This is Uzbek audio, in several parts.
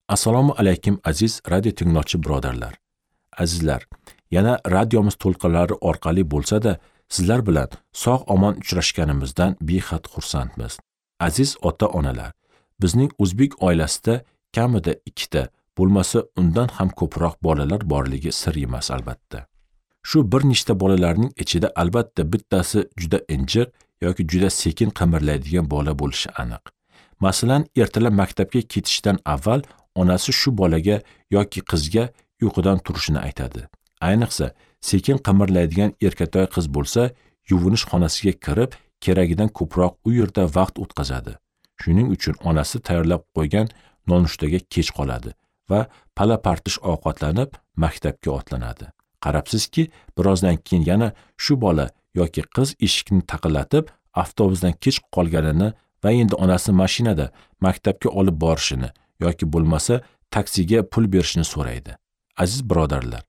Assalomu alaykum aziz radio tinglovchi birodarlar. Azizlar, yana radiomiz to'lqinlari orqali bo'lsa-da, sizlar bilan sog' omon uchrashganimizdan behad xursandmiz. Aziz ota-onalar, bizning o'zbek oilasida kamida ikkita, bo'lmasa undan ham ko'proq bolalar borligi sir emas albatta. Shu bir nechta bolalarning ichida albatta bittasi juda injiq yoki juda sekin qimirlaydigan bola bo'lishi aniq. Masalan, ertalab maktabga ketishdan avval onasi shu bolaga yoki qizga uyqudan turishini aytadi. Ayniqsa, sekin qimirlaydigan erkatoy qiz bo'lsa, yuvinish xonasiga kirib, keragidan ko'proq u yerda vaqt o'tkazadi. Shuning uchun onasi tayyorlab qo'ygan nonushtaga kech qoladi va pala-partish ovqatlanib maktabga otlanadi. Qarabsizki, birozdan keyin yana shu bola yoki qiz eshikni taqillatib, avtobusdan kech qolganini va endi onasi mashinada maktabga olib borishini yoki bo'lmasa taksiga pul berishini so'raydi. Aziz birodarlar,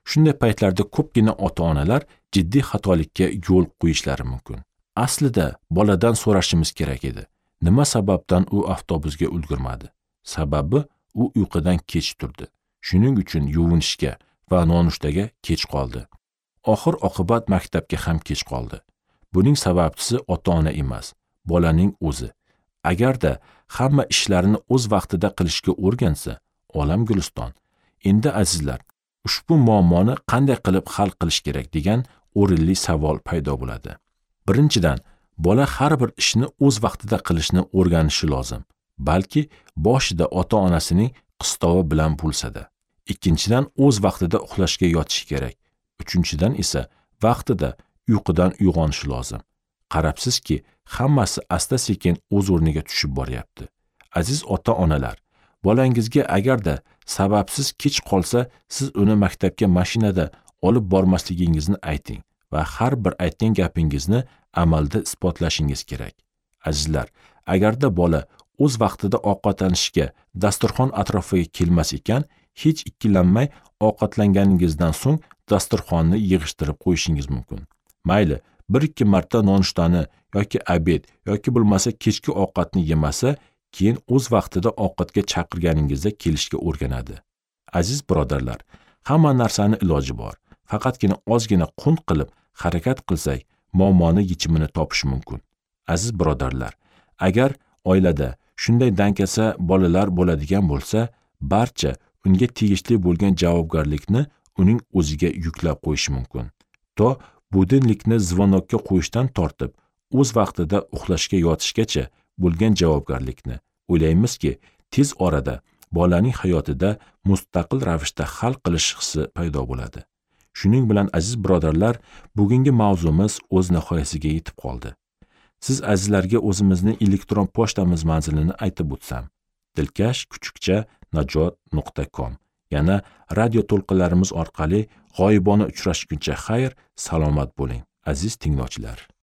shunday paytlarda ko'pgina ota-onalar jiddiy xatolikka yo'l qo'yishlari mumkin. Aslida boladan so'rashimiz kerak edi. Nima sababdan u avtobusga ulgurmadi? Sababi u uyqudan kech turdi. Shuning uchun yuvinishga va nonushtaga kech qoldi. Oxir oqibat maktabga ham kech qoldi. Buning sababchisi ota-ona emas, bolaning o'zi. Agarda hamma ishlarini o'z vaqtida qilishga o'rgansa, olam guliston. Endi azizlar, ushbu muammoni qanday qilib hal qilish kerak degan o'rinli savol paydo bo'ladi. Birinchidan, bola har bir ishni o'z vaqtida qilishni o'rganishi lozim, balki boshida ota-onasining qistovi bilan bo'lsa-da. Ikkinchidan, o'z vaqtida uxlashga yotishi kerak. Uchinchidan esa vaqtida uyqudan uyg'onishi lozim. Qarabsizki, hammasi asta-sekin o'z o'rniga tushib boryapti. Aziz ota-onalar, bolangizga agarda sababsiz kech qolsa, siz uni maktabga mashinada olib bormasligingizni ayting va har bir aytgan gapingizni amalda isbotlashingiz kerak. Azizlar, agarda bola o'z vaqtida ovqatlanishga dasturxon atrofiga kelmas ekan, hech ikkilanmay ovqatlanganingizdan so'ng dasturxonni yig'ishtirib qo'yishingiz mumkin. Mayli, 1-2 marta nonushtani yoki obed yoki bo'lmasa kechki ovqatni yemasa, keyin o'z vaqtida ovqatga chaqirganingizda kelishga o'rganadi. Aziz birodarlar, hamma narsani iloji bor. Faqatgina ozgina qunt qilib harakat qilsak, muammoni yechimini topish mumkin. Aziz birodarlar, agar oilada shunday dangasa bolalar bo'ladigan bo'lsa, barcha unga tegishli bo'lgan javobgarlikni uning o'ziga yuklab qo'yish mumkin. To budilnikni zvonokka qo'yishdan tortib, o'z vaqtida uxlashga yotishgacha bo'lgan javobgarlikni o'ylaymizki, tez orada bolaning hayotida mustaqil ravishda hal qilish hissi paydo bo'ladi. Shuning bilan aziz birodarlar, bugungi mavzumiz o'z nihoyasiga yetib qoldi. Siz azizlarga o'zimizni elektron pochtamiz manzilini aytib o'tsam: dilkash@najot.com. Yana radio to'lqinlarimiz orqali g'oyibona uchrashguncha xayr, salomat bo'ling, aziz tinglovchilar.